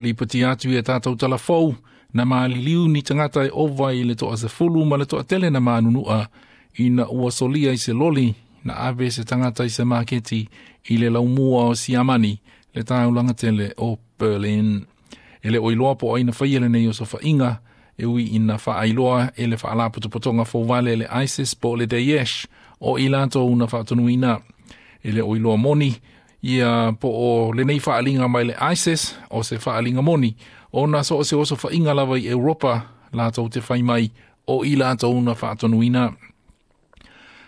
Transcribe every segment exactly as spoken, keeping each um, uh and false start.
Lipoti atu i tātou talafou na maliliu ni tagata e ova i le toasefulu ma le toatele na manunua ina ua solia i se loli na ave se tagata i se maketi i le laumua o Siamani le taulaga tele o Berlin. E le o iloa po o ai na faia lenei osofaʻiga e ui ina faailoa e le faalapotopotoga fouvale le ISIS po o le Daesh o i latou na faatonuina. E le o iloa moni ia po o lenei faaliga mai le ISIS o se faaliga moni ona so o se osofaʻiga lava i Europa latou te fai mai o i latou na faatonuina.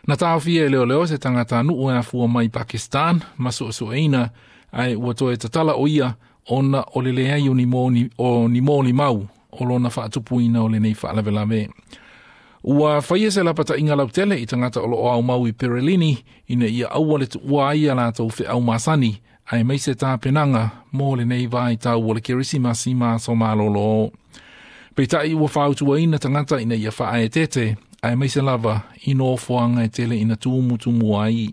Na taofia e leoleo se tagata nuu e afua mai Pakistan ma suesueina ae ua toe tatala o ia ona o le leai o ni moni, o ni molimau o lona faatupuina o lenei faalavelave. Ua faia se lapataʻiga lautele i tagata o loo aumau i Perelini ina ia aua le tuua ai a latou feau masani aemaise tapenaga mo lenei vaitau o le Kerisimasi ma aso malōlō. Peitai ua fautuaina tagata ina ia faaeteete aemaise lava i nofoaga e tele ina tumutumu ai.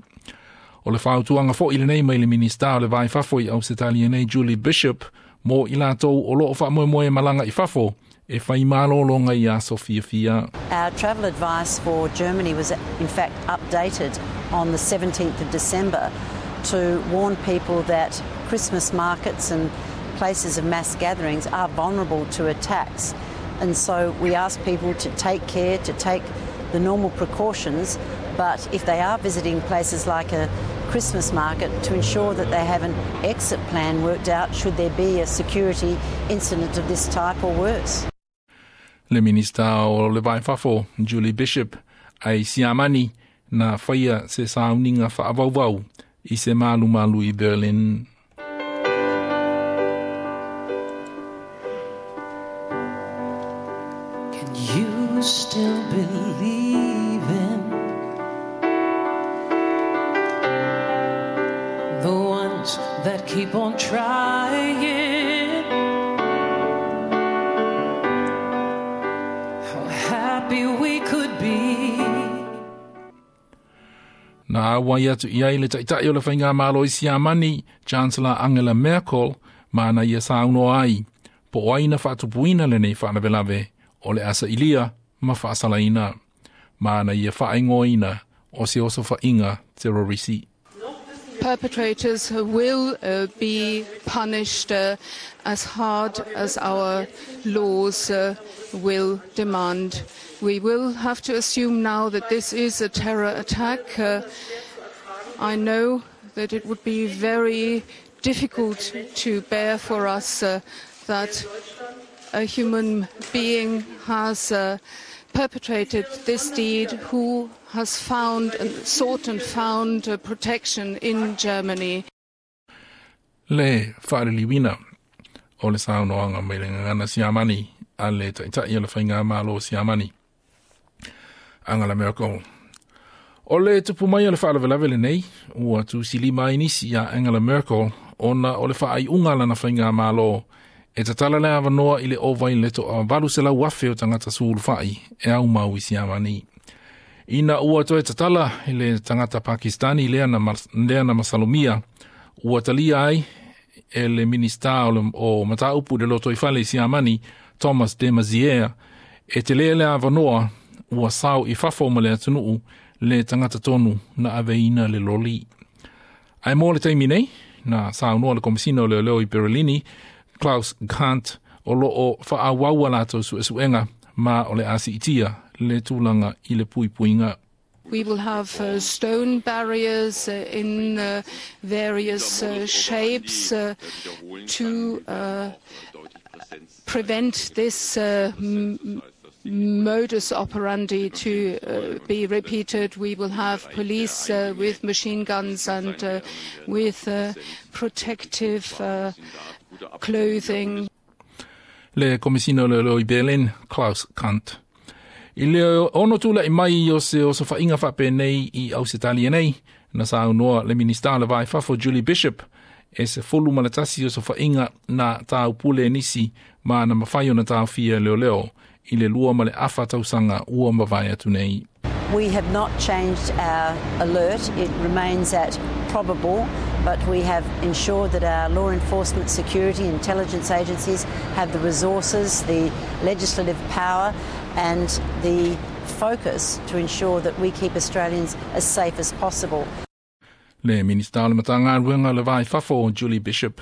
O le fautuaga foʻi lenei mai le Minista o le Va i Fafo i Ausetalia nei Julie Bishop mo i latou o loo faamoemoe malaga i fafo e fai malōlōga i aso fiafia. Our travel advice for Germany was in fact updated on the seventeenth of December to warn people that Christmas markets and places of mass gatherings are vulnerable to attacks. And so we ask people to take care, to take the normal precautions, but if they are visiting places like a Christmas market, to ensure that they have an exit plan worked out should there be a security incident of this type or worse. Le Minista o le Va i Fafo, Julie Bishop, ai Siamani na faia se sauniga faavauvau i se malumalu i Berlin. Can you still believe in the ones that keep on trying? How happy we could be. Na auai atu i ai le taʻitaʻi o le faigamalo i Siamani, Chancellor Angela Merkel, ma na ia saunoa ai, po o ai na faatupuina lenei faalavelave o le asailia ma faasalaina, ma na ia faaigoaina o se osofaʻiga terrorisi. Perpetrators will uh, be punished uh, as hard as our laws uh, will demand. We will have to assume now that this is a terror attack. Uh, I know that it would be very difficult to bear for us uh, that a human being has uh, perpetrated this deed, who has found and sought and found uh, protection in Germany. Le faaliliuina o le saunoaga mai le gagana Siamani a le taʻitaʻi o le faigamalo Siamani Angela Merkel. O le tupu mai o le faalavelave lenei ua tusilima ai nisi iā Angela Merkel ona o le faaiuga lana faigamalo e tatala le avanoa i le ova i le toavalu selau afe o tagata sulufaʻi e aumau i Siamani. Ina ua toe tatala i le tagata Pakistani lea na, lea na masalomia, ua talia ai e le Minista o, le, o Mataupu i le Lotoifale i Siamani, Thomas de Maizière, e telē le avanoa ua sao i fafo ma le atunuu le tagata tonu na aveina le loli. Ae mo le taimi nei, na saunoa le Komisina o Leoleo i Berlini, Klaus Kandt, o loo faaauau latou suesuega ma o le a siitia le tulaga i le puipuiga. We will have uh, stone barriers uh, in uh, various uh, shapes uh, to uh, prevent this uh, m- modus operandi to uh, be repeated. We will have police uh, with machine guns and uh, with uh, protective uh, clothing. Le Komisina o Leoleo i Berlin, Klaus Kandt. I le ono tulaʻi mai o se osofaʻiga faapenei i Ausetalia nei, na saunoa le Minista o le Va i Fafo Julie Bishop e sefulu ma le tasi osofaʻiga na taupule e nisi ma na mafai ona taofia leoleo i le lua ma le afa tausaga ua mavae atu nei. We have not changed our alert. It remains at probable, But we have ensured that our law enforcement, security, intelligence agencies have the resources, the legislative power, and the focus to ensure that we keep Australians as safe as possible. Le Minista o le Matagaluega o le Va i Fafo, Julie Bishop.